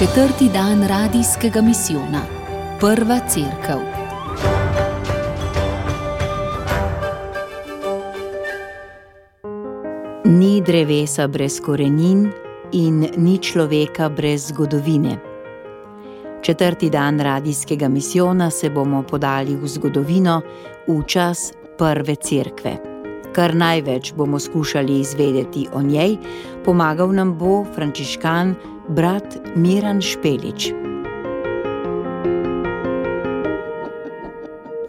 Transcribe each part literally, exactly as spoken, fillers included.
Četrti dan radijskega misijona. Prva cerkev. Ni drevesa brez korenin in ni človeka brez zgodovine. Četrti dan radijskega misijona se bomo podali v zgodovino, v čas prve cerkve. Kar največ bomo skušali izvedeti o njej, pomagal nam bo frančiškan brat Miran Špelič.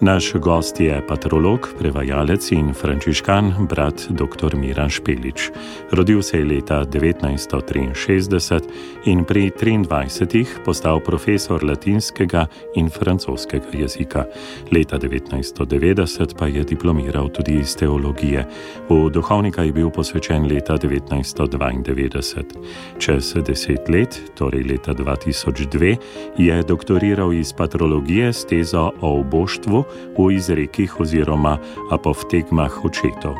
Naš gost je patrolog, prevajalec in frančiškan brat doktor Miran Špelič. Rodil se je leta devetnajststo triinšestdeset in pri triindvajsetih postal profesor latinskega in francoskega jezika. Leta devetnajststo devetdeset pa je diplomiral tudi iz teologije. V duhovnika je bil posvečen leta devetnajststo dvaindevetdeset. Čez deset let, torej leta dva tisoč dve, je doktoriral iz patrologije s tezo o oboštvu v izrekih oziroma apoftegmah očetov.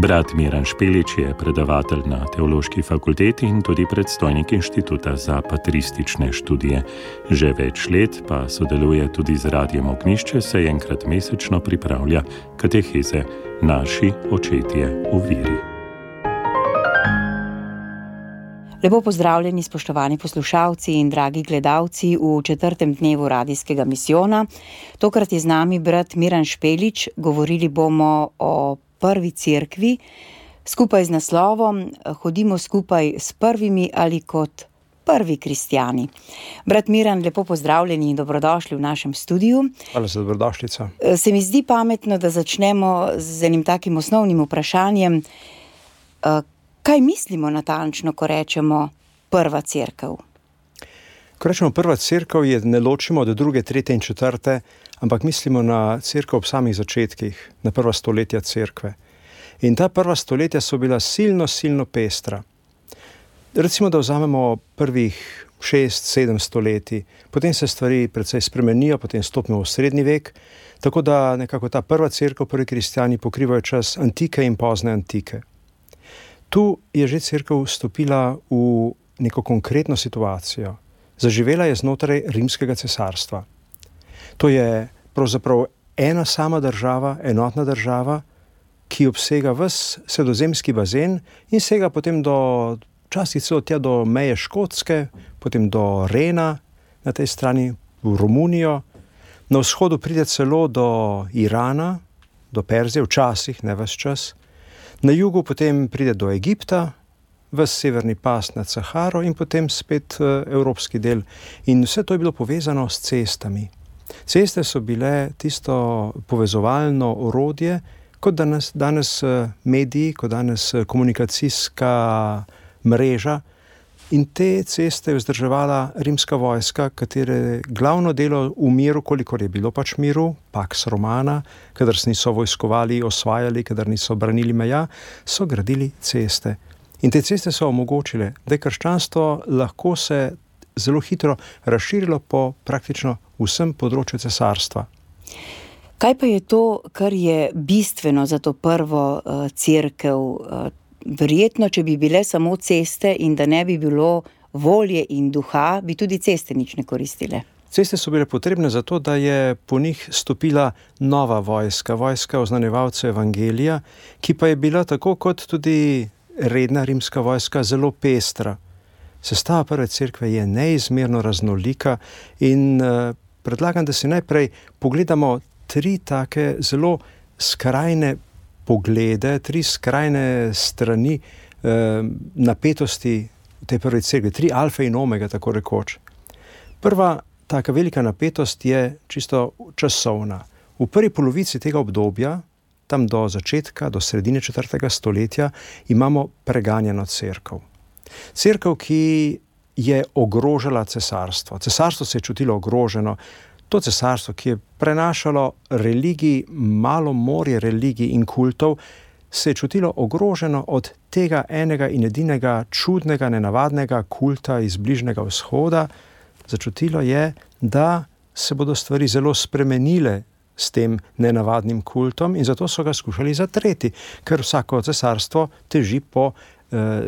Brat Miran Špelič je predavatelj na Teološki fakulteti in tudi predstojnik Inštituta za patristične študije. Že več let pa sodeluje tudi z Radiem Ognjišče, saj enkrat mesečno pripravlja kateheze Naši očetje v veri. Lepo pozdravljeni, spoštovani poslušalci in dragi gledalci v četrtem dnevu radijskega misijona. Tokrat je z nami brat Miran Špelič. Govorili bomo o prvi cerkvi, skupaj z naslovom Hodimo skupaj s prvimi ali kot prvi kristjani. Brat Miran, lepo pozdravljeni in dobrodošli v našem studiu. Hvala za dobrodošlico. Se mi zdi pametno, da začnemo z enim takim osnovnim vprašanjem. Kaj mislimo natančno, ko rečemo prva cerkev? Ko rečemo prva cerkev, je ne ločimo od druge, tretje in četrte, ampak mislimo na cerkev ob samih začetkih, na prva stoletja cerkve. In ta prva stoletja so bila silno, silno pestra. Recimo, da vzamemo prvih šest, sedem stoletij, potem se stvari precej spremenijo, potem stopimo v srednji vek, tako da nekako ta prva cerkev, prvi kristjani pokrivajo čas antike in pozne antike. Tu je že cerkev vstopila v neko konkretno situacijo. Zaživela je znotraj rimskega cesarstva. To je pravzaprav ena sama država, enotna država, ki obsega ves sredozemski bazen in sega potem do, včasih celo tja do meje Škotske, potem do Rena, na tej strani v Romunijo. Na vzhodu pride celo do Irana, do Perzije, včasih, ne ves čas. Na jugu potem pride do Egipta, ves severni pas nad Saharo in potem spet evropski del. In vse to je bilo povezano s cestami. Ceste so bile tisto povezovalno orodje, kot danes, danes mediji, kot danes komunikacijska mreža. In te ceste je vzdrževala rimska vojska, katere glavno delo v miru, kolikor je bilo pač miru, pax romana, kadar se niso vojskovali, osvajali, kadar niso branili meja, so gradili ceste. In te ceste so omogočile, da je krščanstvo lahko se zelo hitro razširilo po praktično vsem področju cesarstva. Kaj pa je to, kar je bistveno za to prvo uh, cerkev? Uh, Verjetno, če bi bile samo ceste in da ne bi bilo volje in duha, bi tudi ceste nič ne koristile. Ceste so bile potrebne zato, da je po njih stopila nova vojska, vojska oznanjevalcev evangelija, ki pa je bila tako kot tudi redna rimska vojska zelo pestra. Sestava prve cerkve je neizmerno raznolika in uh, predlagam, da si najprej pogledamo tri take zelo skrajne poglede, tri skrajne strani eh, napetosti te prve cerkve, tri alfe in omega, tako rekoč. Prva taka velika napetost je čisto časovna. V prvi polovici tega obdobja, tam do začetka, do sredine četrtega stoletja, imamo preganjeno cerkev. Cerkev, ki je ogrožala cesarstvo. Cesarstvo se je čutilo ogroženo. To cesarstvo, ki je prenašalo religij, malo morje religij in kultov, se je čutilo ogroženo od tega enega in edinega čudnega, nenavadnega kulta iz Bližnjega vzhoda. Začutilo je, da se bodo stvari zelo spremenile s tem nenavadnim kultom in zato so ga skušali zatreti, ker vsako cesarstvo teži po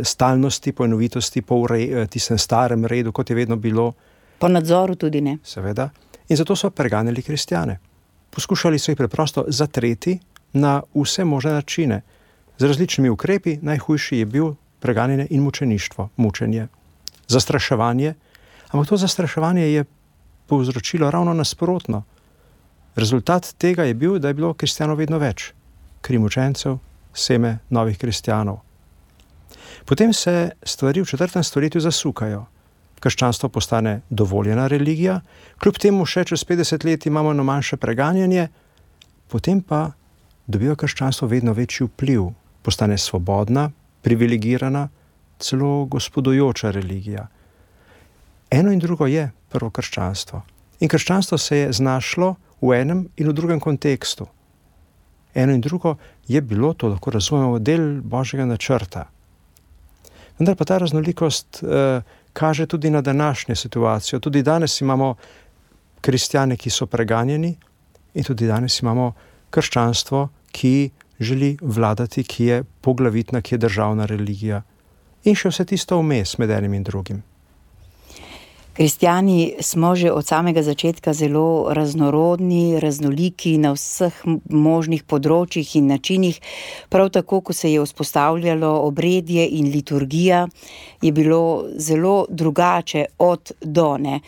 stalnosti, po enovitosti, po ure, tistem starem redu, kot je vedno bilo. Po nadzoru tudi ne. Seveda. In zato so preganjali kristjane. Poskušali so jih preprosto zatreti na vse možne načine. Z različnimi ukrepi, najhujši je bil preganjanje in mučeništvo, mučenje, zastraševanje. Ampak to zastraševanje je povzročilo ravno nasprotno. Rezultat tega je bil, da je bilo kristjanov vedno več. Kri mučencev, seme novih kristjanov. Potem se stvari v četrtem stoletju zasukajo. Krščanstvo postane dovoljena religija, kljub temu še čez petdeset let imamo na manjše preganjanje, potem pa dobiva krščanstvo vedno večji vpliv, postane svobodna, privilegirana, celo gospodujoča religija. Eno in drugo je prvo krščanstvo. In krščanstvo se je znašlo v enem in v drugem kontekstu. Eno in drugo je bilo, to lahko razumemo, del Božjega načrta. Vendar pa ta raznolikost eh, kaže tudi na današnjo situacijo. Tudi danes imamo kristjane, ki so preganjeni, in tudi danes imamo krščanstvo, ki želi vladati, ki je poglavitna, ki je državna religija. In še vse tisto vmes med enim in drugim. Kristjani smo že od samega začetka zelo raznorodni, raznoliki na vseh možnih področjih in načinih. Prav tako, ko se je vzpostavljalo obredje in liturgija, je bilo zelo drugače od do, ne.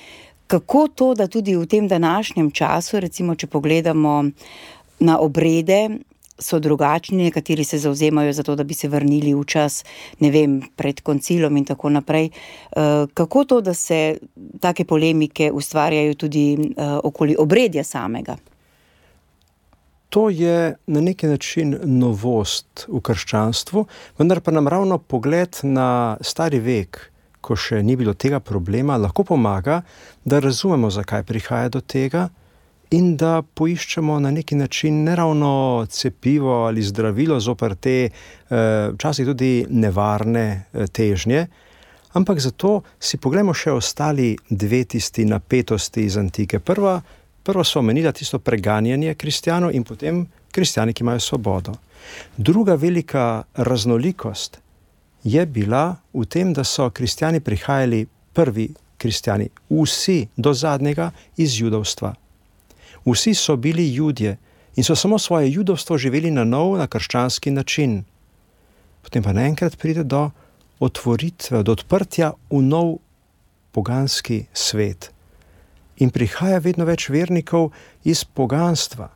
Kako to, da tudi v tem današnjem času, recimo, če pogledamo na obrede, so drugačni, nekateri se zavzemajo za to, da bi se vrnili v čas, ne vem, pred koncilom in tako naprej. Kako to, da se take polemike ustvarjajo tudi okoli obredja samega? To je na neki način novost v krščanstvu, vendar pa nam ravno pogled na stari vek, ko še ni bilo tega problema, lahko pomaga, da razumemo, zakaj prihaja do tega, in da poiščemo na neki način ne ravno cepivo ali zdravilo zoper te včasih tudi nevarne težnje, ampak zato si poglejmo še ostali dve tisti napetosti iz antike. Prva, prva so omenila tisto preganjanje kristjanov in potem kristjani, ki imajo svobodo. Druga velika raznolikost je bila v tem, da so kristjani prihajali, prvi kristjani, vsi do zadnjega iz judovstva. Vsi so bili Judje in so samo svoje judovstvo živeli na nov, na krščanski način. Potem pa naenkrat pride do otvoritve, do odprtja v nov poganski svet. In prihaja vedno več vernikov iz poganstva.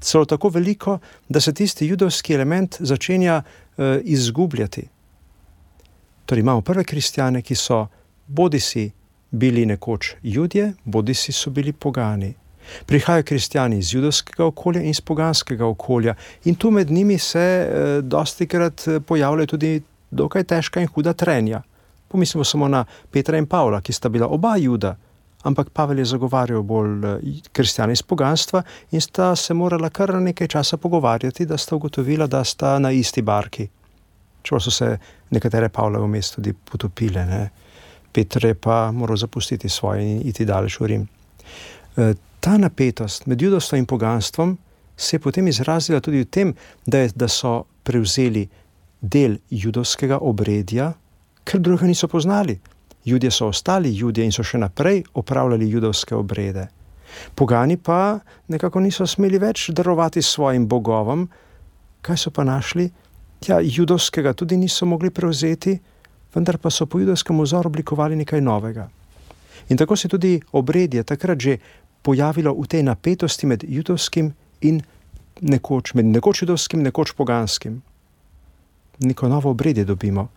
Celo tako veliko, da se tisti judovski element začenja uh, izgubljati. Torej imamo prve kristjane, ki so bodisi bili nekoč Judje, bodisi so bili pogani. Prihajajo kristjani iz judovskega okolja in iz poganskega okolja in tu med njimi se eh, dostikrat pojavljajo tudi dokaj težka in huda trenja. Pomislimo samo na Petra in Pavla, ki sta bila oba Juda, ampak Pavel je zagovarjal bolj kristjane iz poganstva in sta se morala kar nekaj časa pogovarjati, da sta ugotovila, da sta na isti barki. Čeprav so se nekatere Pavle vmes tudi potopile, ne. Peter je pa moral zapustiti svoje in iti daleč v Rim. E, Ta napetost med judovstvom in poganstvom se je potem izrazila tudi v tem, da, je, da so prevzeli del judovskega obredja, ker drugega niso poznali. Judje so ostali Judje in so še naprej opravljali judovske obrede. Pogani pa nekako niso smeli več darovati svojim bogovom. Kaj so pa našli? Ja, judovskega tudi niso mogli prevzeti, vendar pa so po judovskem vzoru oblikovali nekaj novega. In tako se tudi obredje takrat že pojavilo v tej napetosti med judovskim in nekoč, med nekoč judovskim, nekoč poganskim. Neko novo obredje dobimo.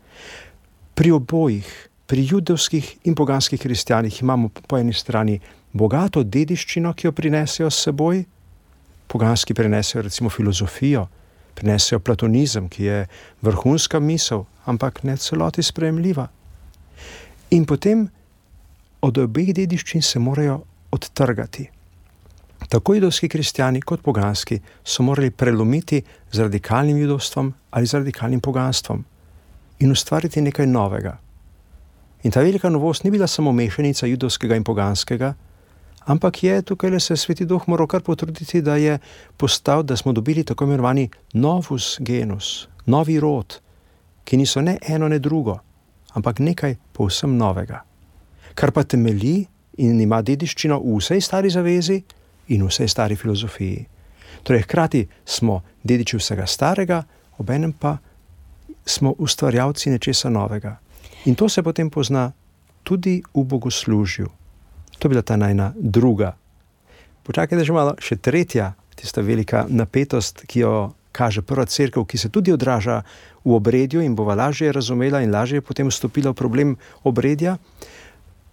Pri obojih, pri judovskih in poganskih kristjanih imamo po eni strani bogato dediščino, ki jo prinesejo s seboj. Poganski prinesejo recimo filozofijo, prinesejo platonizem, ki je vrhunska misel, ampak ne celoti sprejemljiva. In potem od obeh dediščin se morajo odtrgati. Tako judovski kristjani kot poganski so morali prelomiti z radikalnim judovstvom ali z radikalnim poganstvom in ustvariti nekaj novega. In ta velika novost ni bila samo mešanica judovskega in poganskega, ampak je tukaj le se Sveti Duh moral kar potruditi, da je postal, da smo dobili tako imenovani novus genus, novi rod, ki niso ne eno, ne drugo, ampak nekaj povsem novega, kar pa temelji in ima dediščino v vsej stari zavezi in v vsej stari filozofiji. Torej, hkrati smo dediči vsega starega, obenem pa smo ustvarjalci nečesa novega. In to se potem pozna tudi v bogoslužju. To je bila ta najna druga. Počakajte že malo, še tretja, tista velika napetost, ki jo kaže prva cerkev, ki se tudi odraža v obredju in bova lažje razumela in lažje potem vstopila v problem obredja.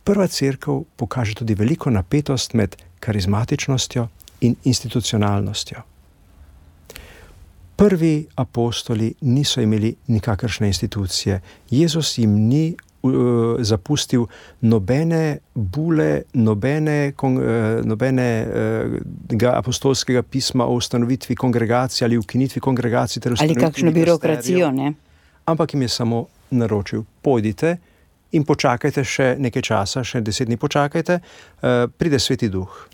Prva cerkev pokaže tudi veliko napetost med karizmatičnostjo in institucionalnostjo. Prvi apostoli niso imeli nikakršne institucije. Jezus jim ni uh, zapustil nobene bule, nobene, kon, uh, nobenega uh, apostolskega pisma o ustanovitvi kongregacije ali ukinitvi kongregacije. Ali kakšno birokracijo, ne? Ampak jim je samo naročil, pojdite in počakajte še nekaj časa, še deset dni počakajte, uh, pride Sveti Duh.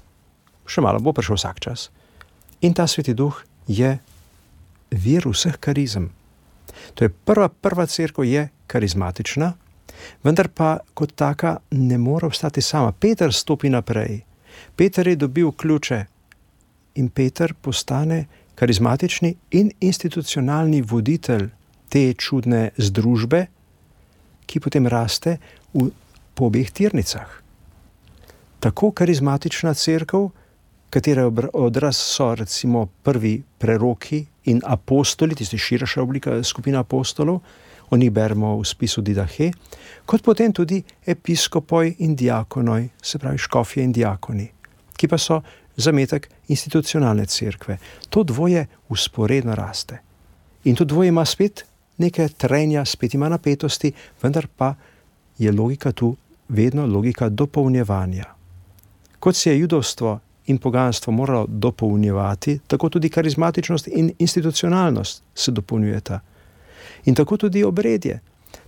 Še malo bo prišel vsak čas. In ta Sveti Duh je vir vseh karizem. To je prva, prva cerkev je karizmatična, vendar pa kot taka ne more obstati sama. Peter stopi naprej. Peter je dobil ključe in Peter postane karizmatični in institucionalni voditelj te čudne združbe, ki potem raste v, po obeh tirnicah. Tako karizmatična cerkev, katere odraz so recimo prvi preroki in apostoli, tisti širša oblika skupina apostolov, o njih beremo v spisu Didahe, kot potem tudi episkopoj in diakonoj, se pravi škofje in diakoni, ki pa so zametek institucionalne cerkve. To dvoje vzporedno raste. In to dvoje ima spet neke trenja, spet ima napetosti, vendar pa je logika tu vedno logika dopolnjevanja. Kot se je judovstvo in poganstvo moralo dopolnjevati, tako tudi karizmatičnost in institucionalnost se dopolnjujeta. In tako tudi obredje,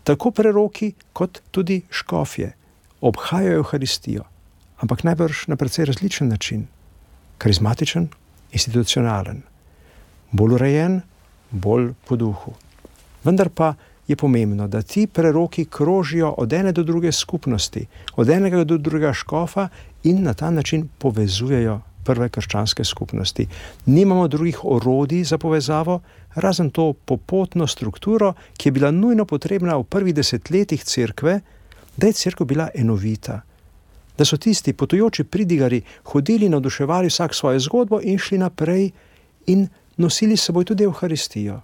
tako preroki kot tudi škofje obhajajo Evharistijo, ampak najbrž na precej različen način. Karizmatičen, institucionalen, bolj urejen, bolj po duhu. Vendar pa je pomembno, da ti preroki krožijo od ene do druge skupnosti, od enega do drugega škofa in na ta način povezujejo prve krščanske skupnosti. Nimamo drugih orodij za povezavo, razen to popotno strukturo, ki je bila nujno potrebna v prvih desetletjih cerkve, da je cerkev bila enovita. Da so tisti potujoči pridigari hodili, navduševali vsak svojo zgodbo in šli naprej in nosili s seboj tudi Evharistijo.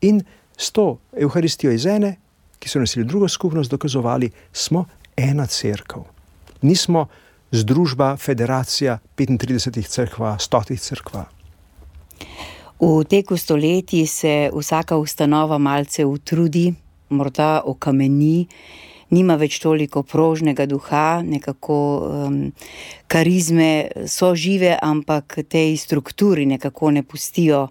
In s to Evharistijo iz ene, ki so nosili drugo skupnost, dokazovali, smo ena cerkev. Nismo združba, federacija petintridesetih cerkva, stotih cerkva. V teku stoletij se vsaka ustanova malce utrudi, morda okameni, nima več toliko prožnega duha, nekako um, karizme so žive, ampak tej strukturi nekako ne pustijo,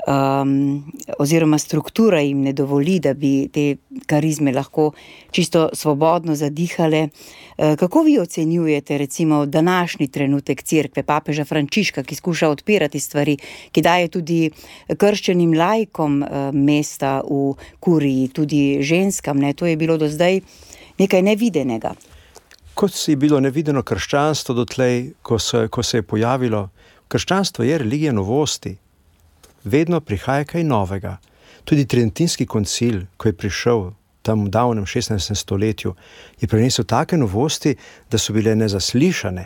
um, oziroma struktura jim ne dovoli, da bi te karizme lahko čisto svobodno zadihale. Kako vi ocenjujete recimo današnji trenutek cerkve, papeža Frančiška, ki skuša odpirati stvari, ki daje tudi krščenim laikom mesta v kuriji, tudi ženskam, ne? To je bilo do zdaj nekaj nevidenega. Kot si je bilo nevideno krščanstvo dotlej, ko se, ko se je pojavilo, krščanstvo je religija novosti. Vedno prihaja kaj novega. Tudi Tridentinski koncil, ko je prišel tam v davnem šestnajstem stoletju, je prinesel take novosti, da so bile nezaslišane.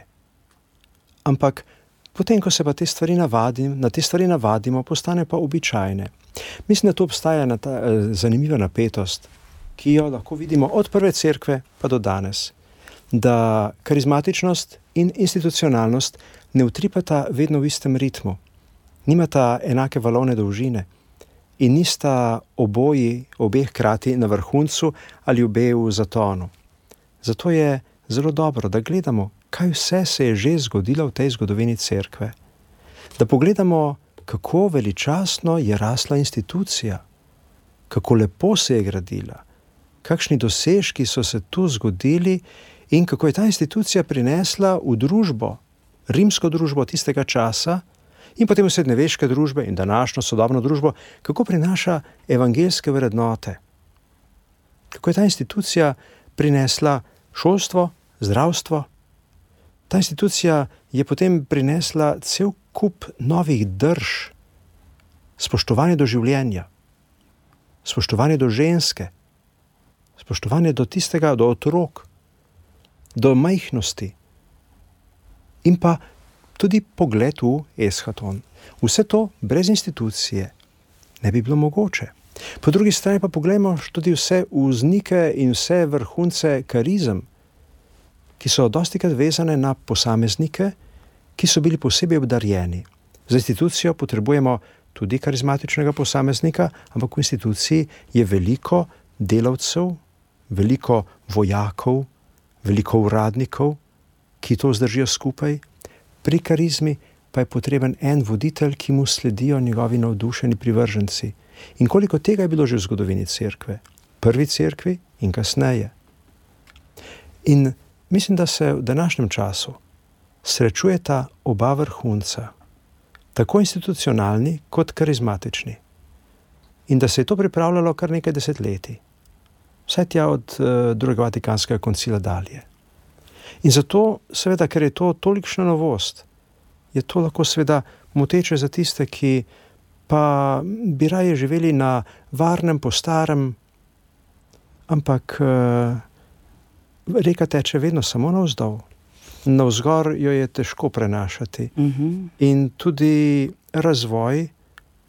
Ampak potem, ko se pa te stvari navadim, na te stvari navadimo, postane pa običajne. Mislim, da tu obstaja na ta, eh, zanimiva napetost, ki jo lahko vidimo od prve cerkve pa do danes. Da karizmatičnost in institucionalnost ne utripata vedno v istem ritmu. Nimata enake valovne dolžine. In nista oboji, obeh hkrati na vrhuncu ali obe v zatonu. Zato je zelo dobro, da gledamo, kaj vse se je že zgodilo v tej zgodovini cerkve. Da pogledamo, kako veličastno je rasla institucija, kako lepo se je gradila, kakšni dosežki so se tu zgodili in kako je ta institucija prinesla v družbo, rimsko družbo tistega časa, in potem v srednjeveške družbe in današnjo sodobno družbo, kako prinaša evangeljske vrednote, kako je ta institucija prinesla šolstvo, zdravstvo. Ta institucija je potem prinesla cel kup novih drž, spoštovanje do življenja, spoštovanje do ženske, spoštovanje do tistega, do otrok, do majhnosti in pa tudi pogled v eschaton. Vse to brez institucije ne bi bilo mogoče. Po drugi strani pa poglejmo tudi vse vznike in vse vrhunce karizem, ki so dostikrat vezane na posameznike, ki so bili posebej obdarjeni. Za institucijo potrebujemo tudi karizmatičnega posameznika, ampak v instituciji je veliko delavcev, veliko vojakov, veliko uradnikov, ki to zdržijo skupaj. Pri karizmi pa je potreben en voditelj, ki mu sledijo njegovi navdušeni privrženci. In koliko tega je bilo že v zgodovini cerkve, prvi cerkvi in kasneje. In mislim, da se v današnjem času srečujeta oba vrhunca, tako institucionalni kot karizmatični. In da se je to pripravljalo kar nekaj desetletij, vsaj tja od uh, drugega Vatikanskega koncila dalje. In zato, seveda, ker je to tolikšna novost, je to lahko seveda moteče za tiste, ki pa bi raje živeli na varnem, po starem, ampak uh, reka teče vedno samo navzdol. Navzgor jo je težko prenašati. Uh-huh. In tudi razvoj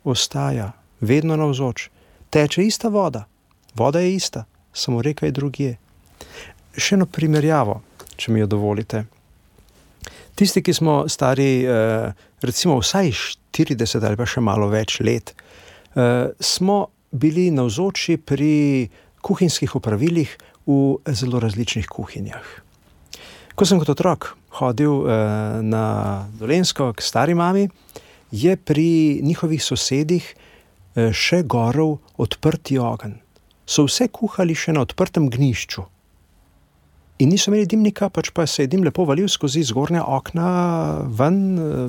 ostaja vedno navzoč. Teče ista voda. Voda je ista, samo reka je drugje. Še eno primerjavo, če mi jo dovolite. Tisti, ki smo stari eh, recimo vsaj štirideset ali pa še malo več let, eh, smo bili navzoči pri kuhinjskih opravilih v zelo različnih kuhinjah. Ko sem kot otrok hodil eh, na Dolenjsko k stari mami, je pri njihovih sosedih eh, še gorel odprti ogenj. So vse kuhali še na odprtem gnjišču. In niso imeli dimnika, pač pa se je dim lepo valil skozi zgornja okna ven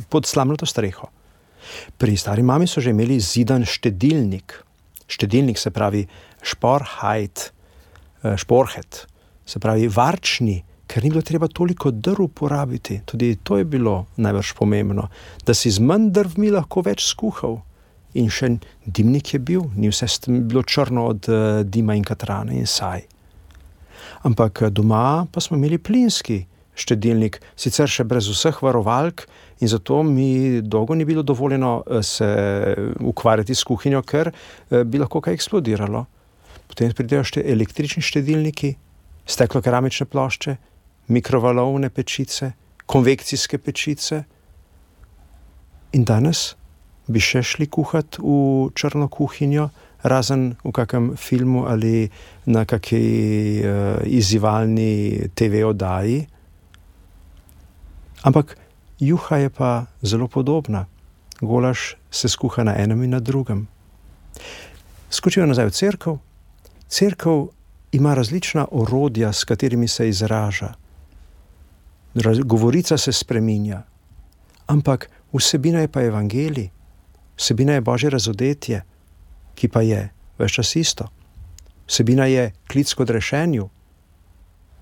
pod slamnato streho. Pri stari mami so že imeli zidan štedilnik. Štedilnik se pravi šporhajt, šporhet, se pravi varčni, ker ni bilo treba toliko drv porabiti. Tudi to je bilo najbrž pomembno, da si z manj drvmi lahko več skuhal. In še dimnik je bil, ni vse bilo črno od dima in katrana in saj. Ampak doma pa smo imeli plinski štedilnik, sicer še brez vseh varovalk, in zato mi dolgo ni bilo dovoljeno se ukvarjati s kuhinjo, ker bi lahko kaj eksplodiralo. Potem pridejo še električni štedilniki, steklo-keramične plošče, mikrovalovne pečice, konvekcijske pečice. In danes bi še šli kuhati v črno kuhinjo, razen v kakem filmu ali na kaki uh, izzivalni te ve oddaji. Ampak juha je pa zelo podobna. Golaž se skuha na enem in na drugem. Skočijo nazaj v cerkev. Cerkev ima različna orodja, s katerimi se izraža. Govorica se spreminja. Ampak vsebina je pa evangelij. Vsebina je Božje razodetje, ki pa je ves čas isto. Vsebina je klic k odrešenju,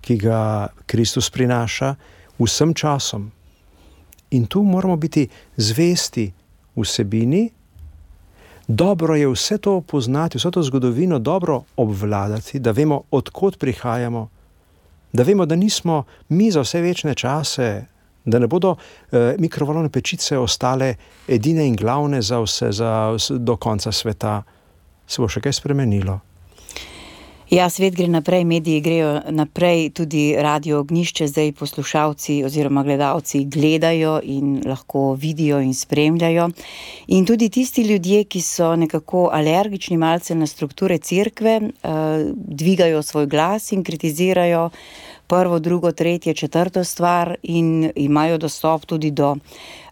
ki ga Kristus prinaša vsem časom. In tu moramo biti zvesti vsebini. Dobro je vse to poznati, vso to zgodovino dobro obvladati, da vemo, od kod prihajamo, da vemo, da nismo mi za vse večne čase, da ne bodo eh, mikrovalovne pečice ostale edine in glavne za vse, za vse, do konca sveta. Se bo še kaj spremenilo. Ja, svet gre naprej, mediji grejo naprej, tudi Radio Ognjišče zdaj poslušalci oziroma gledalci gledajo in lahko vidijo in spremljajo. In tudi tisti ljudje, ki so nekako alergični malce na strukture cerkve, eh, dvigajo svoj glas in kritizirajo prvo, drugo, tretje, četrto stvar in imajo dostop tudi do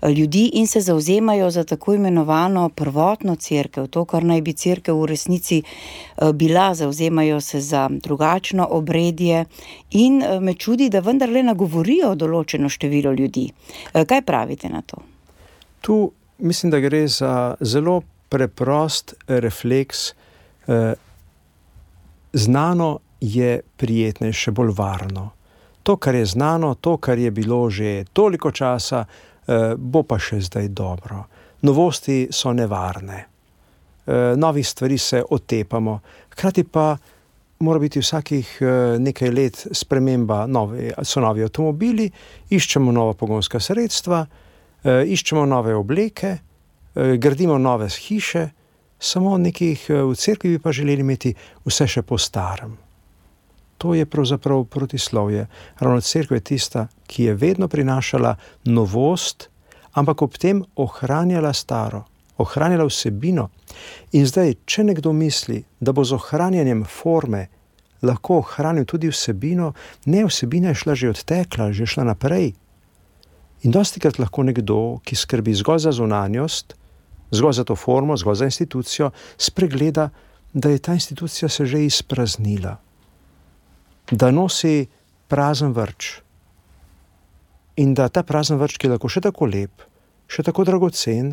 ljudi in se zavzemajo za tako imenovano prvotno cerkev, to, kar naj bi cerkev v resnici bila, zavzemajo se za drugačno obredje in me čudi, da vendarle nagovorijo določeno število ljudi. Kaj pravite na to? Tu mislim, da gre za zelo preprost refleks eh, znano je prijetnejše, bolj varno. To, kar je znano, to, kar je bilo že toliko časa, bo pa še zdaj dobro. Novosti so nevarne. Novih stvari se otepamo. Hkrati pa mora biti vsakih nekaj let sprememba, novi, so novi avtomobili, iščemo nova pogonska sredstva, iščemo nove obleke, gradimo nove hiše, samo nekih v cerkvi bi pa želeli imeti vse še po starem. To je pravzaprav protislovje. Ravno cerkev je tista, ki je vedno prinašala novost, ampak ob tem ohranjala staro, ohranjala vsebino. In zdaj, če nekdo misli, da bo z ohranjanjem forme lahko ohranil tudi vsebino, ne, vsebina je šla že odtekla, že šla naprej. In dostikrat lahko nekdo, ki skrbi zgolj za zunanjost, zgolj za to formo, zgolj za institucijo, spregleda, da je ta institucija se že izpraznila, da nosi prazen vrč in da ta prazen vrč, ki je lahko še tako lep, še tako dragocen,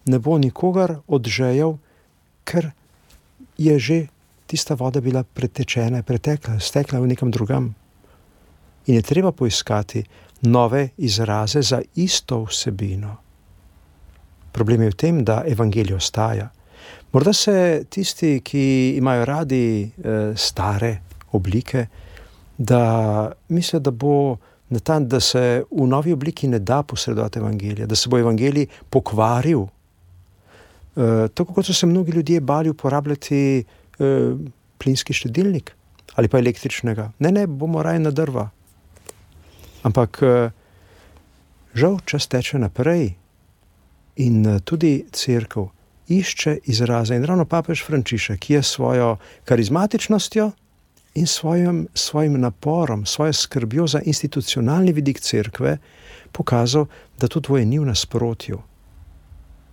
ne bo nikogar odžejal, ker je že tista voda bila pretečena, pretekla, stekla v nekam drugam. In je treba poiskati nove izraze za isto vsebino. Problem je v tem, da evangelij ostaja. Morda se tisti, ki imajo radi e, stare oblike, da mislijo, da bo na ta, da se v novi obliki ne da posredovati evangelija, da se bo evangelij pokvaril. E, tako kot so se mnogi ljudje bali uporabljati e, plinski štedilnik ali pa električnega. Ne, ne, bomo raje na drva. Ampak e, žal čas teče naprej in e, tudi cerkev išče izraze. In ravno papež Frančišek, ki je svojo karizmatičnostjo in svojim, svojim naporom, svojo skrbjo za institucionalni vidik cerkve pokazal, da to dvoje ni v nasprotju.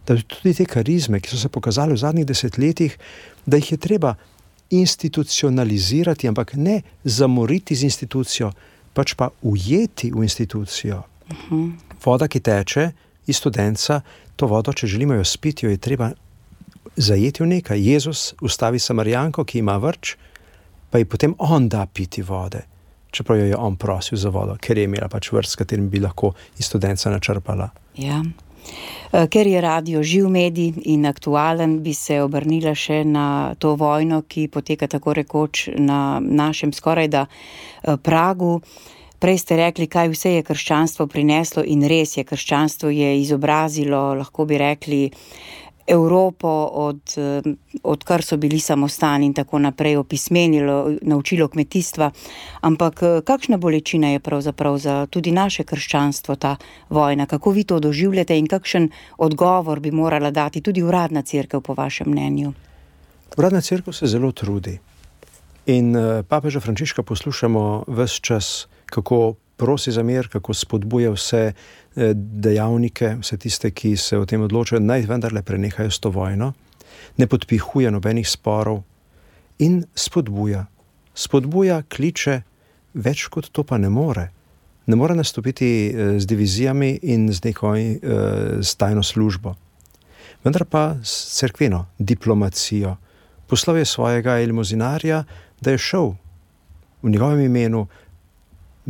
Da tudi te karizme, ki so se pokazali v zadnjih desetletjih, da jih je treba institucionalizirati, ampak ne zamoriti z institucijo, pač pa ujeti v institucijo. Uh-huh. Voda, ki teče iz studenca, to vodo, če želimo jo spiti, jo je treba zajeti v nekaj. Jezus ustavi Samarijanko, ki ima vrč, pa ji potem on da piti vode, čeprav jo je on prosil za vodo, ker je imela pač vrč, s katerim bi lahko iz studenca načrpala. Ja. Ker je radio živ medij in aktualen, bi se obrnila še na to vojno, ki poteka tako rekoč na našem skorajda pragu. Prej ste rekli, kaj vse je krščanstvo prineslo, in res je, krščanstvo je izobrazilo, lahko bi rekli, Evropo, od, od kar so bili samostani in tako naprej, opismenilo, naučilo kmetijstva. Ampak kakšna bolečina je pravzaprav za tudi naše krščanstvo ta vojna? Kako vi to doživljate in kakšen odgovor bi morala dati tudi uradna cerkev, po vašem mnenju? Uradna cerkev se zelo trudi. In papeža Frančiška poslušamo ves čas, kako prosi za mir, kako spodbuja vse dejavnike, vse tiste, ki se o tem odločajo, naj vendarle prenehajo s to vojno, ne podpihuje nobenih sporov in spodbuja. Spodbuja, kliče, več kot to pa ne more. Ne more nastopiti z divizijami in z neko z tajno službo. Vendar pa s cerkveno diplomacijo. Poslal je svojega elimozinarja, da je šel v njegovem imenu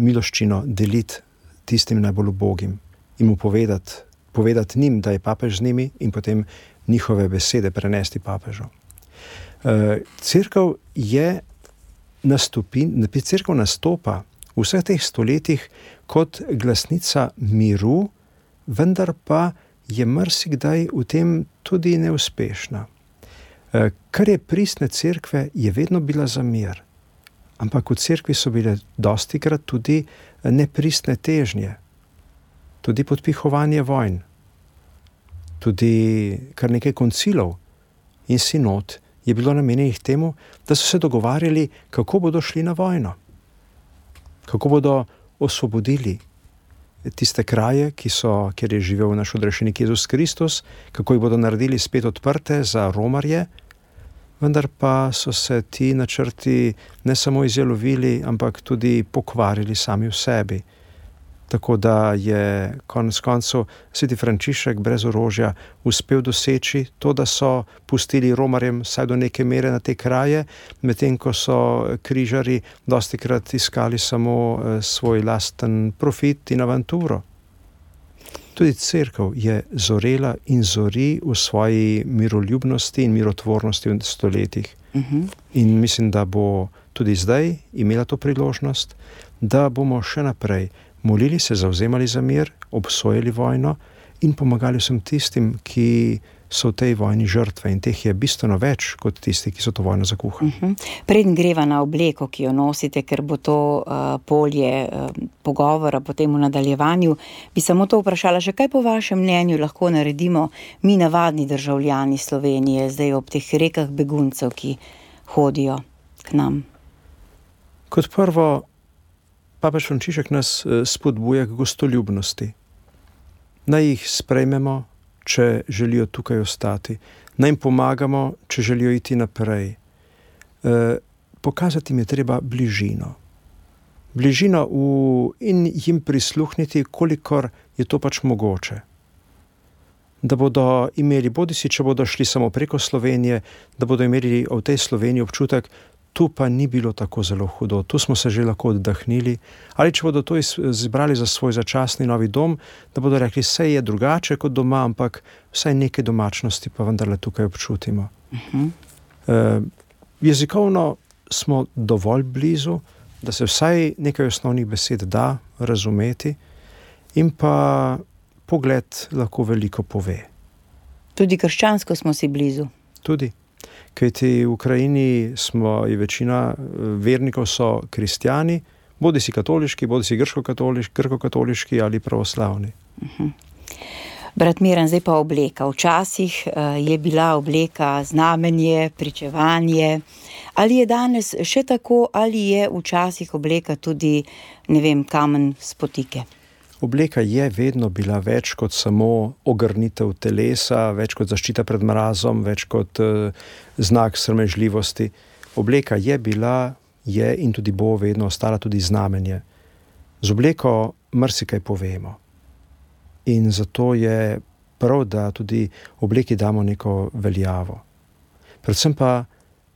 miloščino deliti tistim najbolj ubogim in mu povedati, povedati njim, da je papež z njimi, in potem njihove besede prenesti papežu. Cerkev je nastopi, cerkev nastopa v vseh teh stoletjih kot glasnica miru, vendar pa je marsikdaj v tem tudi neuspešna. Kar je pristne cerkve, je vedno bila za mir. Ampak v cerkvi so bile dostikrat tudi nepristne težnje, tudi podpihovanje vojn, tudi kar nekaj koncilov in sinod je bilo namenjenih temu, da so se dogovarjali, kako bodo šli na vojno, kako bodo osvobodili tiste kraje, ki so, kjer je živel naš odrešenik Jezus Kristus, kako jih bodo naredili spet odprte za romarje. Vendar pa so se ti načrti ne samo izjalovili, ampak tudi pokvarili sami v sebi. Tako da je konec koncev sveti Frančišek brez orožja uspel doseči to, da so pustili romarjem vsaj do neke mere na te kraje, medtem ko so križarji dostikrat iskali samo svoj lasten profit in avanturo. Tudi cerkev je zorela in zori v svoji miroljubnosti in mirotvornosti v stoletjih. Uh-huh. In mislim, da bo tudi zdaj imela to priložnost, da bomo še naprej molili se, zavzemali za mir, obsojali vojno in pomagali vsem tistim, ki so v tej vojni žrtve, in teh je bistveno več kot tisti, ki so to vojno zakuhali. Uh-huh. Preden greva na obleko, ki jo nosite, ker bo to uh, polje uh, pogovora potem v nadaljevanju, bi samo to vprašala, še kaj po vašem mnenju lahko naredimo mi navadni državljani Slovenije, zdaj ob teh rekah beguncev, ki hodijo k nam? Kot prvo, papež Frančišek nas spodbuja k gostoljubnosti. Naj jih sprejmemo, če želijo tukaj ostati. Naj jim pomagamo, če želijo iti naprej. E, pokazati jim je treba bližino. Bližino v, in jim prisluhniti, kolikor je to pač mogoče. Da bodo imeli, bodisi če bodo šli samo preko Slovenije, da bodo imeli v tej Sloveniji občutek, tu pa ni bilo tako zelo hudo, tu smo se že lahko oddahnili, ali če bodo to izbrali za svoj začasni novi dom, da bodo rekli, vse je drugače kot doma, ampak vsaj neke domačnosti pa vendarle tukaj občutimo. Uh-huh. E, jezikovno smo dovolj blizu, da se vsaj nekaj osnovnih besed da razumeti, in pa pogled lahko veliko pove. Tudi krščansko smo si blizu. Tudi. Kajti v Ukrajini smo, je večina vernikov so kristjani, bodi si katoliški, bodi si grško-katoliški, grško-katoliški ali pravoslavni. Uh-huh. Brat Miran, zdaj pa obleka. Včasih uh, je bila obleka znamenje, pričevanje. Ali je danes še tako, ali je včasih obleka tudi, ne vem, kamen spotike? Obleka je vedno bila več kot samo ogrnitev telesa, več kot zaščita pred mrazom, več kot uh, znak sramežljivosti. Obleka je bila, je in tudi bo vedno ostala tudi znamenje. Z obleko marsikaj povemo. In zato je prav, da tudi obleki damo neko veljavo. Predvsem pa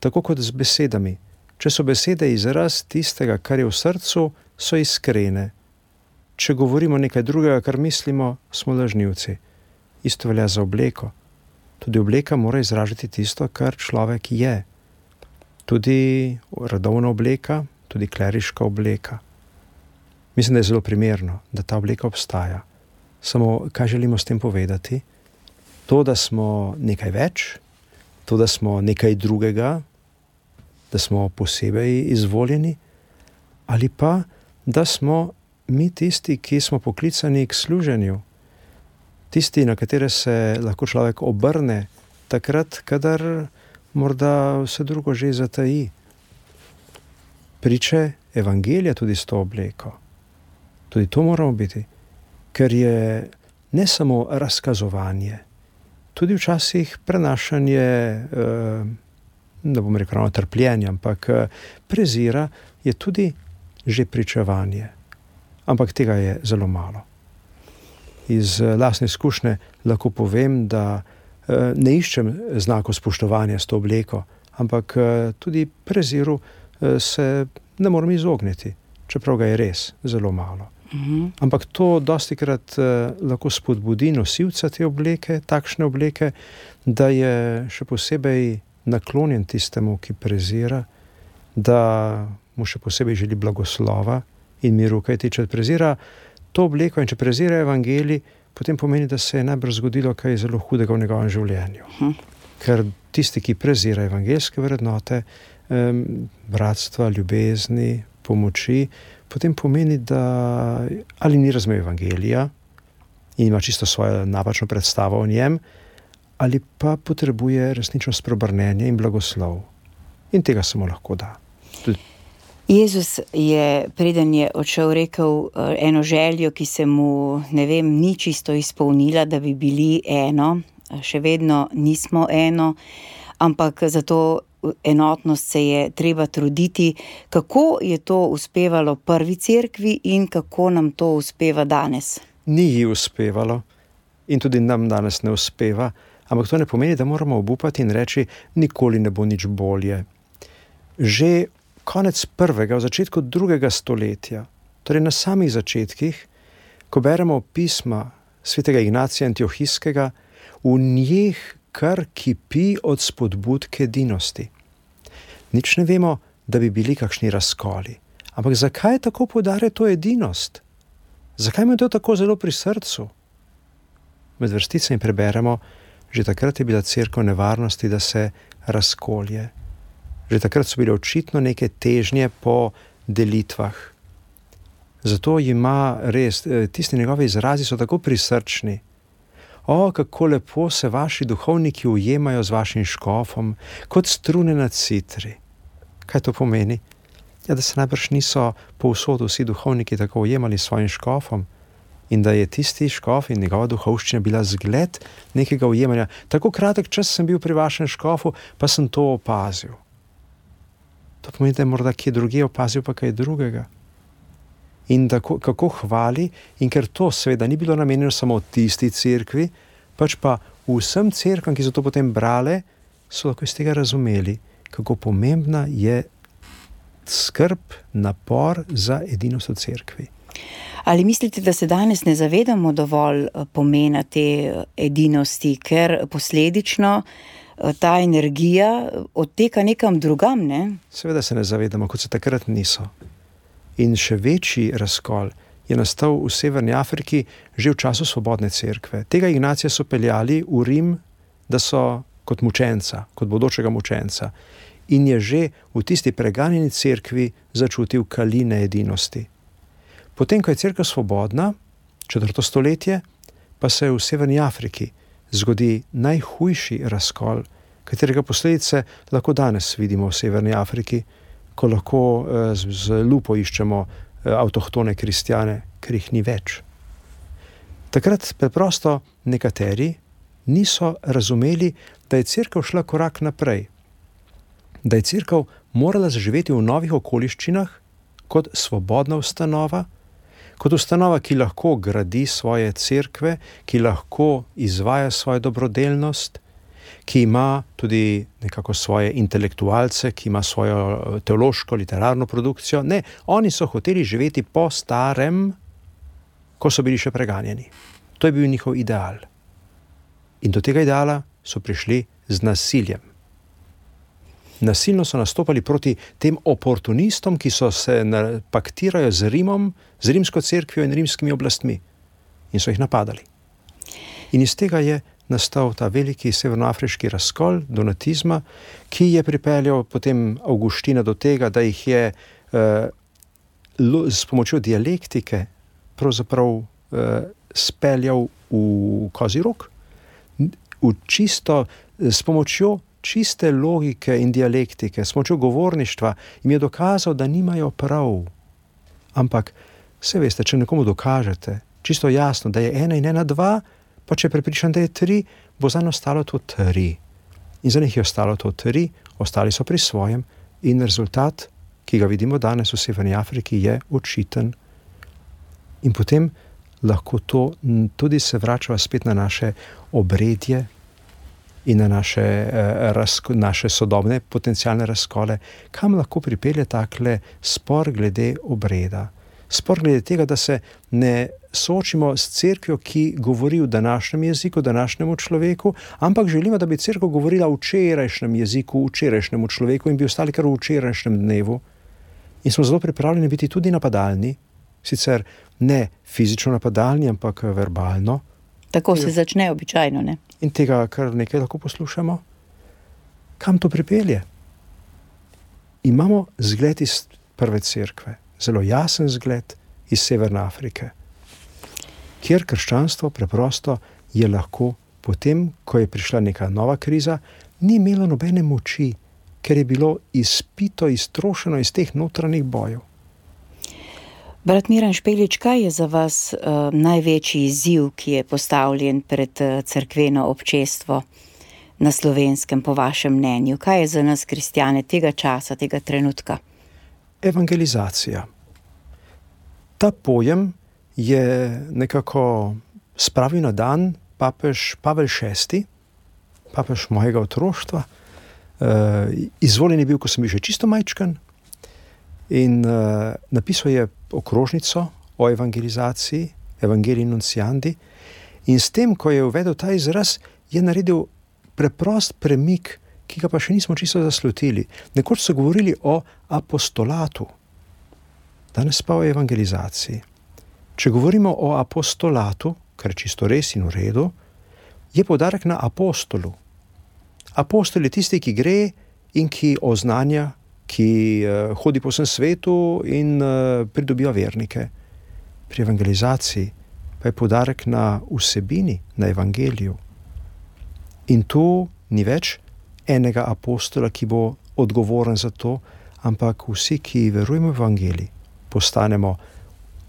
tako kot z besedami. Če so besede izraz tistega, kar je v srcu, so iskrene. Če govorimo nekaj drugega, kar mislimo, smo lažnivci. Isto velja za obleko. Tudi obleka mora izražati tisto, kar človek je. Tudi redovna obleka, tudi kleriška obleka. Mislim, da je zelo primerno, da ta obleka obstaja. Samo, kaj želimo s tem povedati? To, da smo nekaj več, to, da smo nekaj drugega, da smo posebej izvoljeni, ali pa, da smo mi tisti, ki smo poklicani k služenju, tisti, na katere se lahko človek obrne, takrat, kadar morda vse drugo že zataji. Priče evangelija tudi s to obleko. Tudi to moramo biti, ker je ne samo razkazovanje, tudi včasih prenašanje, ne bom rekel ravno trpljenja, ampak prezira je tudi že pričevanje. Ampak tega je zelo malo. Iz lastne izkušnje lahko povem, da ne iščem znakov spoštovanja s to obleko, ampak tudi preziru se ne moram izogniti, čeprav ga je res zelo malo. Uh-huh. Ampak to dostikrat lahko spodbudi nosilca te obleke, takšne obleke, da je še posebej naklonjen tistemu, ki prezira, da mu še posebej želi blagoslova in miru, kajti če prezira to obleko in če prezira evangelij, potem pomeni, da se je najbrž zgodilo kaj zelo hudega v njegovem življenju. Hm. Ker tisti, ki prezira evangeljske vrednote, um, bratstva, ljubezni, pomoči, potem pomeni, da ali ni razumel evangelija in ima čisto svojo napačno predstavo o njem, ali pa potrebuje resnično spreobrnenje in blagoslov. In tega samo lahko da. Tudi Jezus je, preden je odšel, rekel eno željo, ki se mu, ne vem, ni čisto izpolnila, da bi bili eno. Še vedno nismo eno, ampak zato enotnost se je treba truditi. Kako je to uspevalo prvi cerkvi in kako nam to uspeva danes? Ni ji uspevalo in tudi nam danes ne uspeva, ampak to ne pomeni, da moramo obupati in reči, nikoli ne bo nič bolje. Že konec prvega, v začetku drugega stoletja, torej na samih začetkih, ko beremo pisma svetega Ignacija Antiohijskega, v njih kar kipi od spodbud k edinosti. Nič ne vemo, da bi bili kakšni razkoli. Ampak zakaj tako poudarja to edinost? Zakaj mu je to tako zelo pri srcu? Med vrsticami preberemo, že takrat je bila cerkev nevarnosti, da se razkolje. Že takrat so bile očitno neke težnje po delitvah. Zato ima res, tisti njegovi izrazi so tako prisrčni. O, kako lepo se vaši duhovniki ujemajo z vašim škofom, kot strune na citri. Kaj to pomeni? Ja, da se najbrž niso povsod vsi duhovniki tako ujemali s svojim škofom in da je tisti škof in njegova duhovščina bila zgled nekega ujemanja. Tako kratek čas sem bil pri vašem škofu, pa sem to opazil. To pomeni, da je morda kje drugje opazil pa kaj drugega. In tako, kako hvali, in ker to seveda ni bilo namenjeno samo tisti cerkvi, pač pa vsem cerkvam, ki so to potem brale, so lahko iz tega razumeli, kako pomembna je skrb, napor za edinost v cerkvi. Ali mislite, da se danes ne zavedamo dovolj pomena te edinosti, ker posledično ta energija odteka nekam drugam, ne? Seveda se ne zavedamo, kot se takrat niso. In še večji razkol je nastal v Severni Afriki že v času svobodne cerkve. Tega Ignacija so peljali v Rim, da so kot mučenca, kot bodočega mučenca. In je že v tisti preganjeni cerkvi začutil kaline edinosti. Potem, ko je cerkev svobodna, četrto stoletje, pa se v Severni Afriki zgodi najhujši razkol, katerega posledice lahko danes vidimo v Severni Afriki, ko lahko z, z lupo iščemo avtohtone kristjane, ker jih ni več. Takrat preprosto nekateri niso razumeli, da je cerkev šla korak naprej, da je cerkev morala zaživeti v novih okoliščinah kot svobodna ustanova, kot ustanova, ki lahko gradi svoje cerkve, ki lahko izvaja svojo dobrodelnost, ki ima tudi nekako svoje intelektualce, ki ima svojo teološko, literarno produkcijo. Ne, oni so hoteli živeti po starem, ko so bili še preganjeni. To je bil njihov ideal. In do tega ideala so prišli z nasiljem. Nasilno so nastopali proti tem oportunistom, ki so se paktirajo z Rimom, z rimsko cerkvijo in rimskimi oblastmi. In so jih napadali. In iz tega je nastal ta veliki severnoafriški razkol donatizma, ki je pripeljal potem Avguština do tega, da jih je eh, s pomočjo dialektike pravzaprav eh, speljal v kozji rog, v čisto, s pomočjo čiste logike in dialektike, s pomočjo govorništva jim je dokazal, da nimajo prav. Ampak, se veste, če nekomu dokažete, čisto jasno, da je ena in ena dva, pa če je prepričan, da je tri, bo zanj ostalo to tri. In za njih je ostalo to tri, ostali so pri svojem in rezultat, ki ga vidimo danes v Severni Afriki, je očiten. In potem lahko to tudi se vračava spet na naše obredje in na naše, eh, razko, naše sodobne potencialne razkole, kam lahko pripelje takle spor glede obreda. Spor glede tega, da se ne soočimo s cerkvijo, ki govori v današnjem jeziku, današnjemu človeku, ampak želimo, da bi cerkev govorila v včerajšnjem jeziku, v včerajšnjemu človeku in bi ostali kar v včerajšnjem dnevu. In smo zelo pripravljeni biti tudi napadalni, sicer ne fizično napadalni, ampak verbalno. Tako se začne običajno, ne? In tega kar nekaj lahko poslušamo. Kam to pripelje? Imamo zgled iz prve cerkve, zelo jasen zgled iz Severne Afrike, kjer krščanstvo preprosto je lahko potem, ko je prišla neka nova kriza, ni imelo nobene moči, ker je bilo izpito, iztrošeno iz teh notranjih bojev. Brat Miran Špelič, kaj je za vas uh, največji izziv, ki je postavljen pred uh, cerkveno občestvo na Slovenskem, po vašem mnenju? Kaj je za nas, kristjane, tega časa, tega trenutka? Evangelizacija. Ta pojem je nekako spravil na dan papež Pavel šesti, papež mojega otroštva. Uh, izvoljen je bil, ko sem bil še čisto majčkan, in uh, napisal je okrožnico o evangelizaciji, Evangelii Nunciandi, in s tem, ko je uvedel ta izraz, je naredil preprost premik, ki ga pa še nismo čisto zaslutili. Nekoč so govorili o apostolatu, danes pa o evangelizaciji. Če govorimo o apostolatu, kar je čisto res in v redu, je poudarek na apostolu. Apostol je tisti, ki gre in ki oznanja, ki uh, hodi po vsem svetu in uh, pridobiva vernike. Pri evangelizaciji pa je poudarek na vsebini, na evangeliju. In tu ni več enega apostola, ki bo odgovoren za to, ampak vsi, ki verujemo v evangelij, postanemo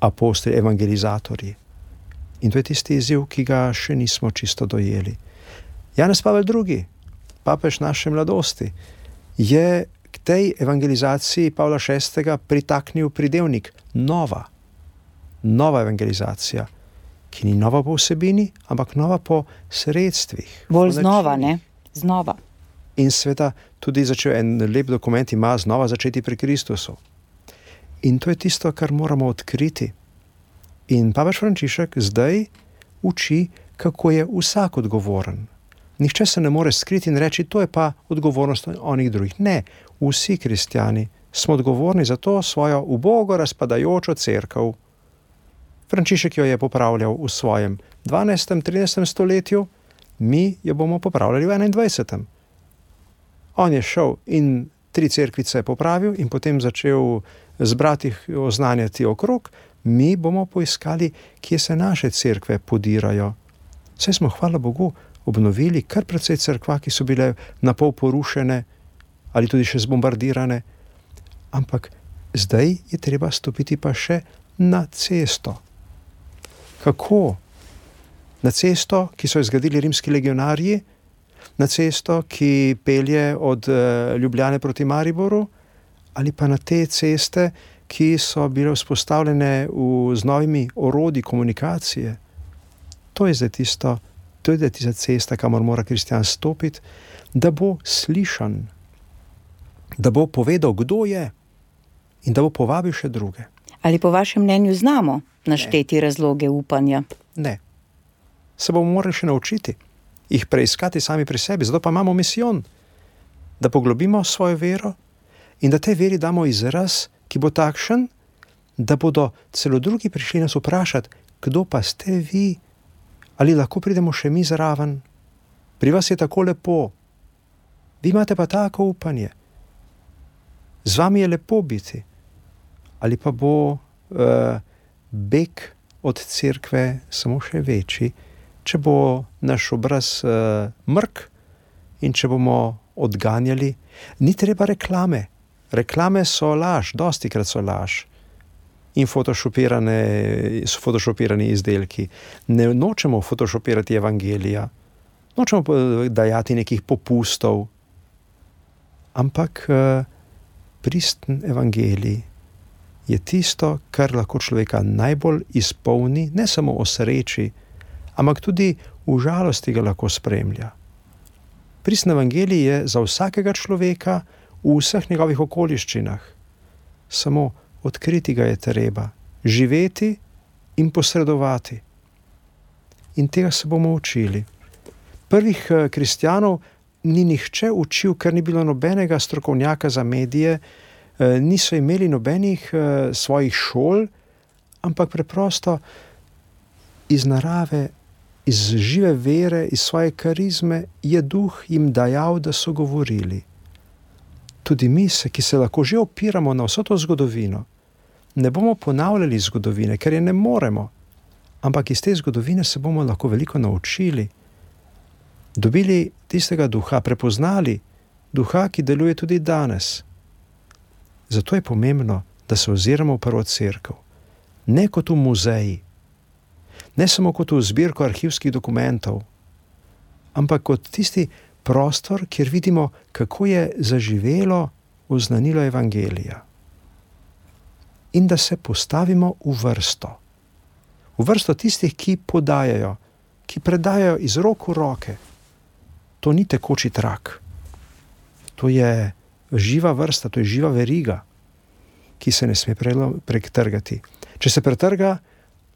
apostoli, evangelizatorji. In to je tisti izziv, ki ga še nismo čisto dojeli. Janez Pavel drugi, papež naše mladosti, je k tej evangelizaciji Pavla šestega pritaknil pridevnik nova. Nova evangelizacija, ki ni nova po vsebini, ampak nova po sredstvih. Bolj znova, ne? Znova. In sveta tudi začel en lep dokument, ima znova začeti pri Kristusu. In to je tisto, kar moramo odkriti. In papež Frančišek zdaj uči, kako je vsak odgovoren. Nihče se ne more skriti in reči, to je pa odgovornost onih drugih. Ne, vsi kristjani smo odgovorni za to svojo ubogo razpadajočo cerkev. Frančišek jo je popravljal v svojem dvanajstem, trinajstem stoletju, mi jo bomo popravljali v enaindvajsetem. On je šel in tri cerkvice popravil in potem začel zbrati oznanjati okrog, mi bomo poiskali, kje se naše cerkve podirajo. Saj smo, hvala Bogu, obnovili kar precej cerkva, ki so bile napol porušene ali tudi še zbombardirane, ampak zdaj je treba stopiti pa še na cesto. Kako? Na cesto, ki so jo zgradili rimski legionarji, na cesto, ki pelje od Ljubljane proti Mariboru, ali pa na te ceste, ki so bile vzpostavljene v, z novimi orodji komunikacije. To je zdaj tisto, to je zdaj tista cesta, kamor mora kristjan stopiti, da bo slišan, da bo povedal, kdo je in da bo povabil še druge. Ali po vašem mnenju znamo našteti ne. razloge upanja? Ne. Se bomo morali še naučiti, jih preiskati sami pri sebi, zato pa imamo misijon, da poglobimo svojo vero in da tej veri damo izraz, ki bo takšen, da bodo celo drugi prišli nas vprašati, kdo pa ste vi, ali lahko pridemo še mi zraven. Pri vas je tako lepo, vi imate pa tako upanje, z vami je lepo biti. Ali pa bo uh, beg od cerkve samo še večji, če bo naš obraz uh, mrk in če bomo odganjali. Ni treba reklame. Reklame so laž, dostikrat so laž. In photoshopirane, so photoshopirani izdelki. Ne nočemo photoshopirati evangelija, nočemo dajati nekih popustov, ampak uh, pristen evangelij je tisto, kar lahko človeka najbolj izpolni, ne samo o sreči, ampak tudi v žalosti ga lahko spremlja. Pristen evangelij je za vsakega človeka v vseh njegovih okoliščinah. Samo odkriti ga je treba, živeti in posredovati. In tega se bomo učili. Prvih kristjanov ni nihče učil, ker ni bilo nobenega strokovnjaka za medije, niso imeli nobenih svojih šol, ampak preprosto iz narave, iz žive vere, iz svoje karizme je duh jim dajal, da so govorili. Tudi mi se, ki se lahko že opiramo na vso to zgodovino, ne bomo ponavljali zgodovine, ker je ne moremo, ampak iz te zgodovine se bomo lahko veliko naučili, dobili tistega duha, prepoznali duha, ki deluje tudi danes. Zato je pomembno, da se oziramo v prvo cerkev, ne kot v muzeji, ne samo kot v zbirko arhivskih dokumentov, ampak kot tisti prostor, kjer vidimo, kako je zaživelo oznanilo evangelija. In da se postavimo v vrsto. V vrsto tistih, ki podajajo, ki predajajo iz rok v roke. To ni tekoči trak. To je živa vrsta, to je živa veriga, ki se ne sme pretrgati. Če se pretrga,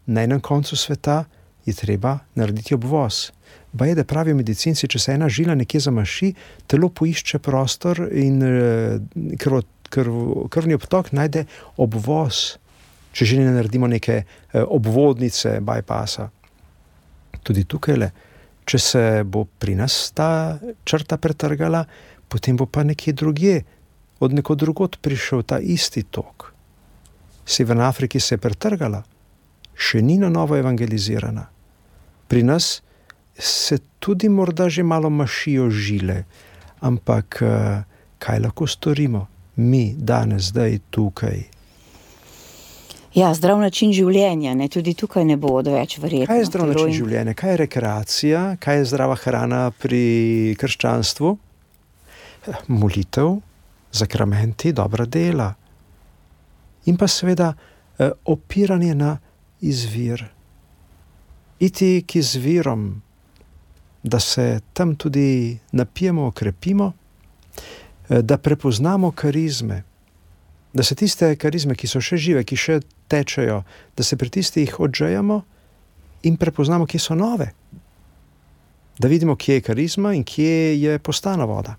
na enem koncu sveta je treba narediti obvoz. Baje, da pravijo medicinci, če se ena žila nekje zamaši, telo poišče prostor in krv, krv, krvni obtok najde obvoz, če že ne naredimo neke obvodnice, bypassa. Tudi tukajle, če se bo pri nas ta črta pretrgala, potem bo pa nekje drugje, od nekod drugod prišel ta isti tok. Severna Afrika se je pretrgala, še ni na novo evangelizirana. Pri nas se tudi morda že malo mašijo žile, ampak kaj lahko storimo mi danes, zdaj, tukaj? Ja, zdrav način življenja, ne? Tudi tukaj ne bo odveč verjetno. Kaj je zdrav način življenja? Kaj je rekreacija? Kaj je zdrava hrana pri krščanstvu? Molitev, zakramenti, dobra dela. In pa seveda opiranje na izvir. Iti k izvirom, da se tam tudi napijemo, okrepimo, da prepoznamo karizme, da se tiste karizme, ki so še žive, ki še tečejo, da se pri tistih odžejamo in prepoznamo, kje so nove. Da vidimo, kje je karizma in kje je postana voda.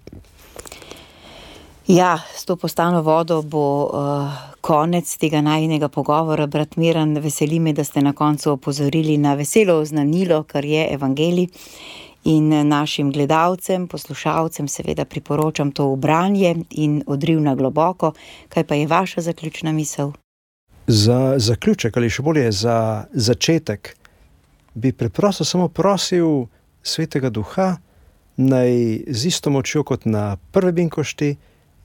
Ja, s to postano vodo bo uh, konec tega najinega pogovora. Brat Miran, veseli me, da ste na koncu opozorili na veselo oznanilo, kar je evangelij. In našim gledalcem, poslušalcem seveda priporočam to v branje in odriv na globoko. Kaj pa je vaša zaključna misel? Za zaključek ali še bolje za začetek bi preprosto samo prosil Svetega Duha, naj z isto močjo kot na prve binkošti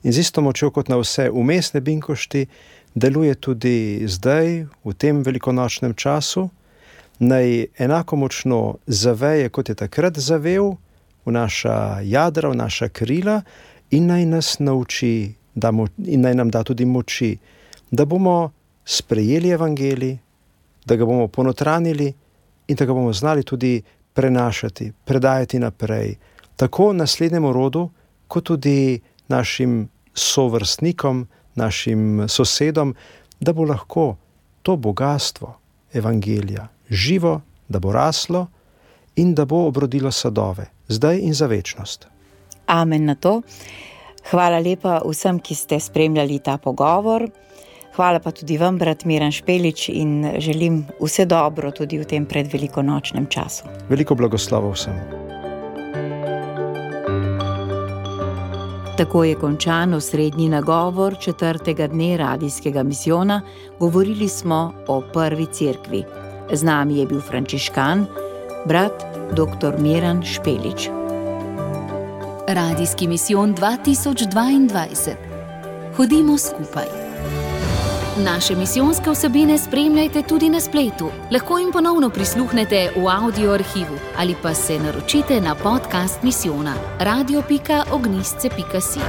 in z isto močjo kot na vse umestne binkošti deluje tudi zdaj, v tem velikonočnem času, naj enako močno zaveje, kot je takrat zavel, v naša jadra, v naša krila in naj nas nauči da mo- in naj nam da tudi moči, da bomo sprejeli evangelij, da ga bomo ponotranili in da ga bomo znali tudi prenašati, predajati naprej, tako naslednjemu rodu, kot tudi našim sovrstnikom, našim sosedom, da bo lahko to bogastvo evangelija živo, da bo raslo in da bo obrodilo sadove, zdaj in za večnost. Amen na to. Hvala lepa vsem, ki ste spremljali ta pogovor. Hvala pa tudi vam, brat Miran Špelič, in želim vse dobro tudi v tem predvelikonočnem času. Veliko blagoslavov vsem. Tako je končan osrednji nagovor četrtega dne radijskega misijona. Govorili smo o prvi cerkvi. Z nami je bil frančiškan, brat doktor Miran Špelič. Radijski misijon dva tisoč dvaindvajset. Hodimo skupaj. Naše misijonske vsebine spremljajte tudi na spletu. Lahko jim ponovno prisluhnete v audio arhivu ali pa se naročite na podcast misijona radio pika ognjišče pika si.